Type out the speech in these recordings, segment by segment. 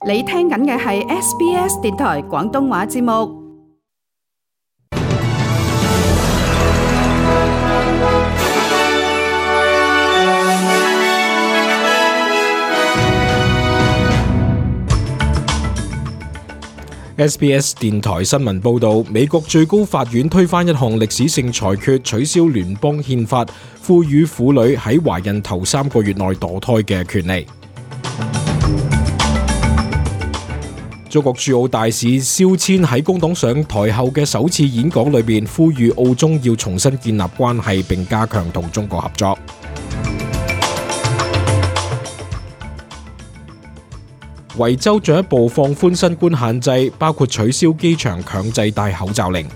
你聽緊嘅係 SBS 電台廣東話節目。SBS 電台新聞報道，美國最高法院推翻一項歷史性裁決，取消聯邦憲法賦予婦女喺懷孕頭3個月內墮胎嘅權利。中國駐澳大使肖千喺工黨上台後嘅首次演講裏邊，呼籲澳中要重新建立關係，並加強同中國合作。維州進一步放寬新冠限制，包括取消機場強制戴口罩令。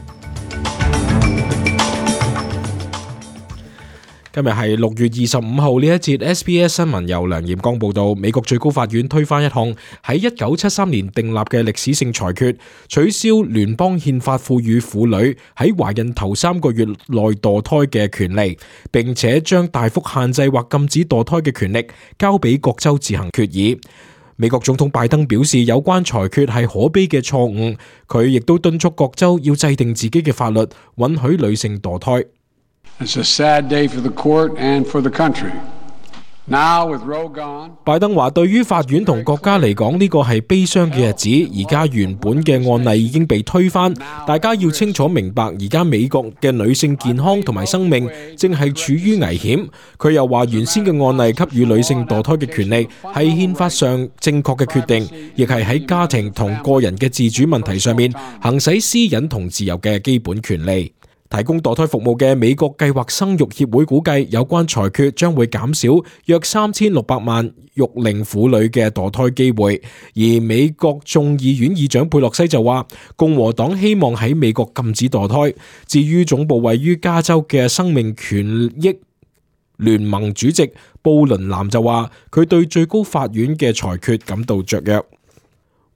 今日係6月25號，呢一節 SBS 新聞由梁炎光報道。美國最高法院推翻一項喺1973年訂立嘅歷史性裁決，取消聯邦憲法賦予婦女喺懷孕頭3個月內墮胎嘅權利，並且將大幅限制或禁止墮胎嘅權力交俾各州自行決議。美國總統拜登表示，有關裁決係可悲嘅錯誤，佢亦都敦促各州要制定自己嘅法律，允許女性墮胎。It's a sad day for the court and for the country. Now with Roe gone, 拜登話，對於法院同國家嚟講，呢個係悲傷嘅日子。而家原本嘅案例已經被推翻，大家要清楚明白，而家美國嘅女性健康同埋生命正係處於危險。佢又話，原先嘅案例給予女性墮胎嘅權利係憲法上正確嘅決定，亦係喺家庭同個人嘅自主問題上面行使私隱同自由嘅基本權利。提供墮胎服務嘅美國計劃生育協會估計，有關裁決將會減少約3600萬育齡婦女嘅墮胎機會。而美國眾議院議長佩洛西就話，共和黨希望喺美國禁止墮胎。至於總部位於加州嘅生命權益聯盟主席布倫南就話，佢對最高法院嘅裁決感到雀躍。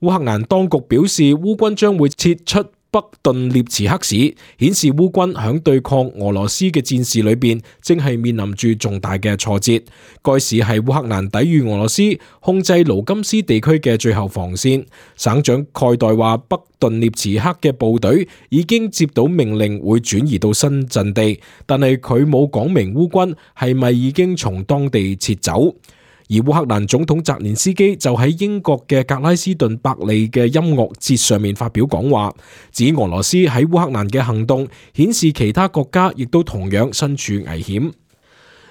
烏克蘭當局表示，烏軍將會撤出北頓涅茨克市，顯示烏軍響對抗俄羅斯嘅戰事裏邊，正係面臨住重大嘅挫折。該市係烏克蘭抵禦俄羅斯控制盧甘斯地區嘅最後防線。省長蓋代話，北頓涅茨克嘅部隊已經接到命令，會轉移到新陣地，但係佢冇講明烏軍係咪已經從當地撤走。而烏克蘭總統澤連斯基就喺英國嘅格拉斯頓伯利嘅音樂節上面發表講話，指俄羅斯喺烏克蘭嘅行動顯示其他國家亦都同樣身處危險。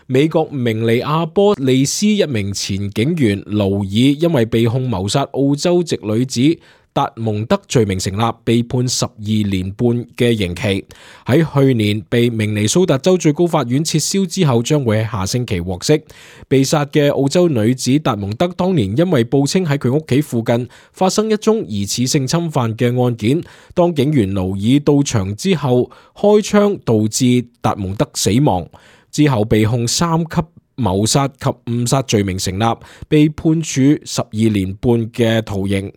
美國明尼亞波利斯一名前警員勞爾因為被控謀殺澳洲籍女子達蒙德罪名成立，被判12年半嘅刑期。喺去年被明尼蘇達州最高法院撤銷之後，將會喺下星期獲釋。被殺嘅澳洲女子達蒙德當年因為報稱喺佢屋企附近發生一宗疑似性侵犯嘅案件，當警員勞爾到場之後開槍，導致達蒙德死亡。之後被控3級謀殺及誤殺罪名成立，被判處12年半嘅徒刑。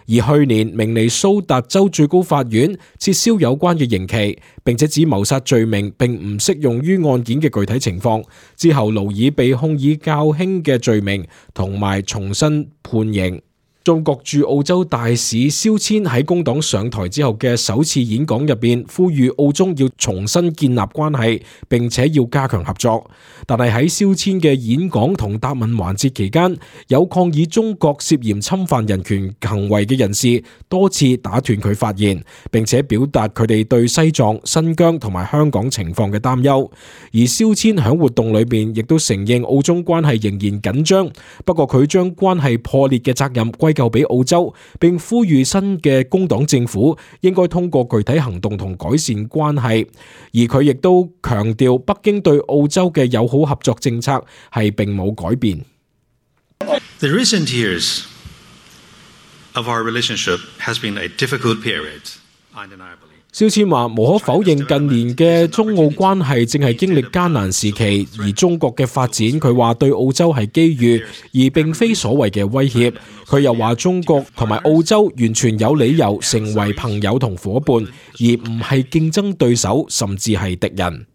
而去年明尼蘇達州最高法院撤銷有關嘅刑期，並且指謀殺罪名並唔適用於案件嘅具體情況。之後勞爾被控以較輕嘅罪名，同埋重新判刑。中國駐澳洲大使肖千喺工黨上台之後嘅首次演講入邊，呼籲澳中要重新建立關係，並且要加強合作。但係喺肖千嘅演講同答問環節期間，有抗議中國涉嫌侵犯人權行為嘅人士多次打斷佢發言，並且表達佢哋對西藏、新疆同埋香港情況嘅擔憂。而肖千喺活動裏邊亦都承認澳中關係仍然緊張，不過佢將關係破裂嘅責任歸咎俾澳洲，並呼籲新嘅工黨政府應該通過具體行動同改善關係。而佢亦都強調，北京對澳洲嘅友好合作政策係並冇改變。The recent years of our relationship has been a difficult period, undeniably. 肖千話，無可否認近年嘅中澳關係正係經歷艱難時期，而中國嘅發展佢話對澳洲係機遇，而並非所謂嘅威脅。佢又話中國同埋澳洲完全有理由成為朋友同夥伴，而唔係競爭對手，甚至係敵人。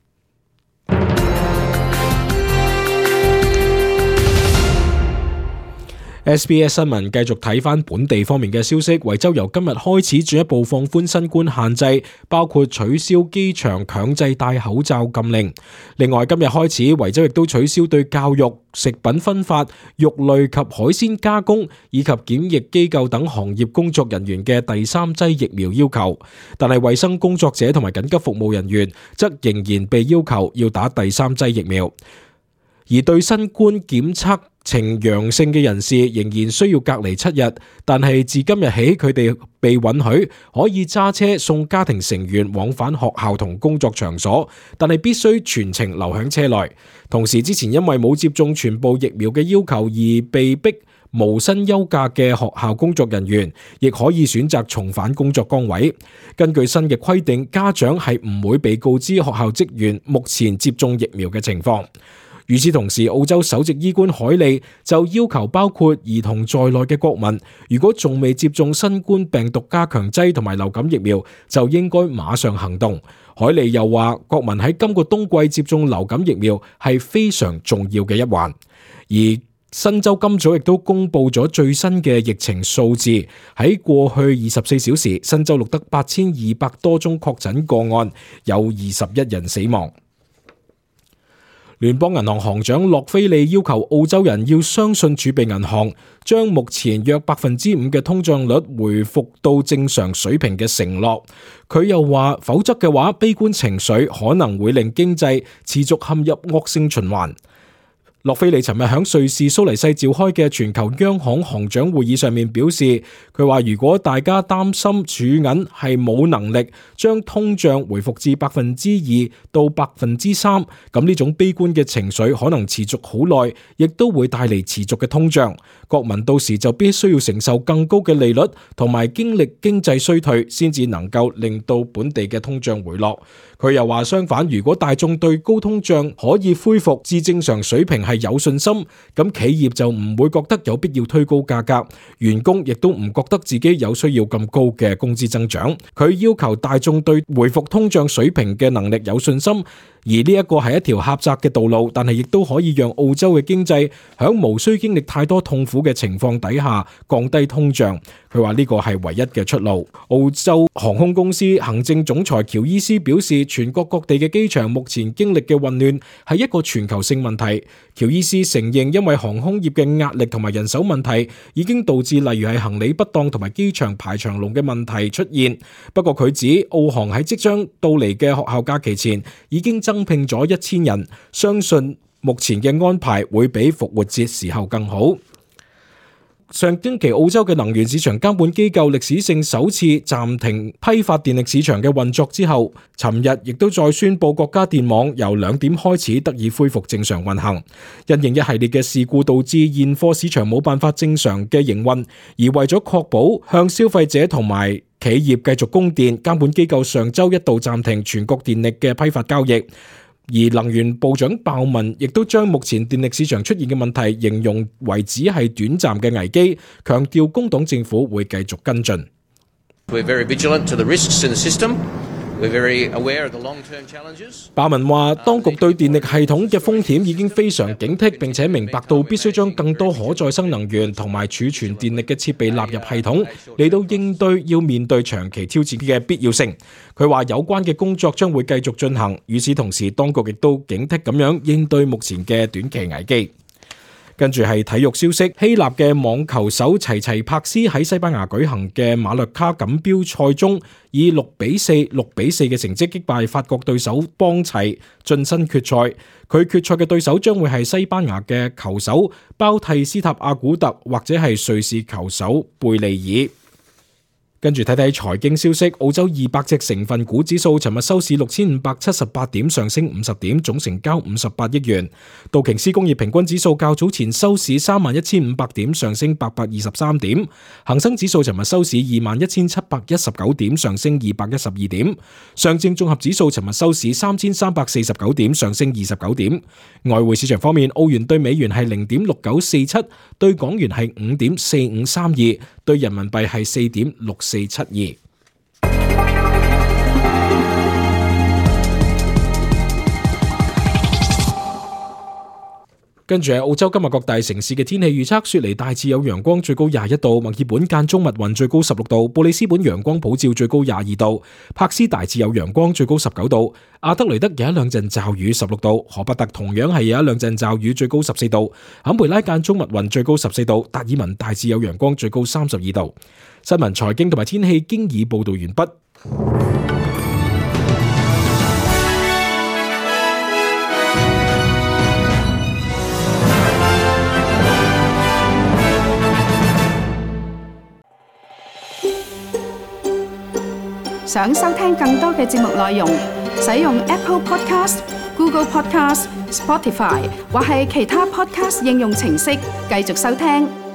SBS 新聞繼續睇返本地方面嘅消息，維州由今日開始進一步放寬新冠限制，包括取消機場強制戴口罩禁令。另外，今日開始，維州亦都取消對教育、食品分發、肉類及海鮮加工以及檢疫機構等行業工作人員嘅第三劑疫苗要求，但係衛生工作者同埋緊急服務人員則仍然被要求要打第三劑疫苗。而對新冠檢測呈陽性嘅人士仍然需要隔離7日，但係自今日起佢哋被允許可以揸車送家庭成員往返學校同工作場所，但係必須全程留喺車內。同時之前因為冇接種全部疫苗嘅要求而被逼無薪休假嘅學校工作人員，亦可以選擇重返工作崗位。根據新嘅規定，家長係唔會被告知學校職員目前接種疫苗嘅情況。與此同時，澳洲首席醫官海利就要求包括兒童在內嘅國民，如果仲未接種新冠病毒加強劑同埋流感疫苗，就應該馬上行動。海利又話，國民喺今個冬季接種流感疫苗係非常重要嘅一環。而新州今早亦都公布咗最新嘅疫情數字，喺過去24小時，新州錄得8200多宗確診個案，有21人死亡。聯邦銀行行長洛菲利要求澳洲人要相信儲備銀行將目前約 5% 嘅通脹率回復到正常水平嘅承諾。佢又話，否則嘅話，悲觀情緒可能會令經濟持續陷入惡性循環。洛菲利尋日喺瑞士蘇黎世召開嘅全球央行行長會議上面表示，佢話如果大家擔心儲銀係冇能力將通脹回復至 2% 到 3%， 咁呢種悲觀嘅情緒可能持續好耐，亦都會帶嚟持續嘅通脹。國民到時就必須要承受更高嘅利率，同埋經歷經濟衰退，先至能夠令到本地嘅通脹回落。佢又話相反，如果大眾對高通脹可以恢復至正常水平係有信心，咁企業就唔會覺得有必要推高價格，員工亦都唔覺得自己有需要咁高嘅工資增長。佢要求大眾對回復通脹水平嘅能力有信心，而呢一個係一條狹窄嘅道路，但係亦都可以讓澳洲嘅經濟喺無需經歷太多痛苦嘅情況底下降低通脹。佢話呢個係唯一嘅出路。澳洲航空公司行政總裁喬伊斯表示，全國各地嘅機場目前經歷嘅混亂係一個全球性問題。喬伊斯承認，因為航空業嘅壓力同埋人手問題已經導致例如係行李不當同埋機場排長龍嘅問題出現。不過佢指澳航喺即將到嚟嘅學校假期前已經增聘咗1000人，相信目前嘅安排會比復活節時候更好。上星期澳洲嘅能源市場監管機構歷史性首次暫停批發電力市場嘅運作之後，尋日亦都再宣布國家電網由2點開始得以恢復正常運行。因應一系列嘅事故導致現貨市場冇辦法正常嘅營運，而為咗確保向消費者同埋企業繼續供電，監管機構上週一度暫停全國電力嘅批發交易。而能源部長鮑文亦都將目前電力市場出現嘅問題形容為只係短暫嘅危機，強調工黨政府會繼續跟進。鮑文話，當局對電力系統嘅風險已經非常警惕，並且明白到必須將更多可再生能源同埋儲存電力嘅設備納入系統，嚟到應對要面對長期挑戰嘅必要性。佢話有關嘅工作將會繼續進行，與此同時，當局亦都警惕咁樣應對目前嘅短期危機。跟住係體育消息，希臘嘅網球手齊齊柏斯喺西班牙舉行嘅馬略卡錦標賽中，以6-4、6-4嘅成績擊敗法國對手邦齊，晉身決賽。佢決賽嘅對手將會係西班牙嘅球手包蒂斯塔阿古特，或者係瑞士球手貝利爾。跟住睇睇財經消息，澳洲200隻成分股指數尋日收市6578點，上升50點，總成交58億元。道瓊斯工業平均指數較早前收市31500點，上升823點。恒生指數尋日收市21719點，上升212點。上證綜合指數尋日收市3349點，上升29點。外匯市場方面，澳元對美元係0.6947，對港元係5.4532，對人民幣係4.6472。跟住係澳洲今日各大城市嘅天氣預測，雪梨大致有陽光，最高21度；墨爾本間中密雲，最高16度；布里斯本陽光普照，最高22度；柏斯大致有陽光，最高19度；阿德雷德有一兩陣驟雨，16度；荷伯特同樣係有一兩陣驟雨，最高14度；坎培拉間中密雲，最高14度；達爾文大致有陽光，最高32度。新聞、財經同埋天氣經已報道完畢。想收聽更多嘅節目內容，使用 Apple Podcast、Google Podcast、Spotify 或係其他 Podcast 應用程式繼續收聽。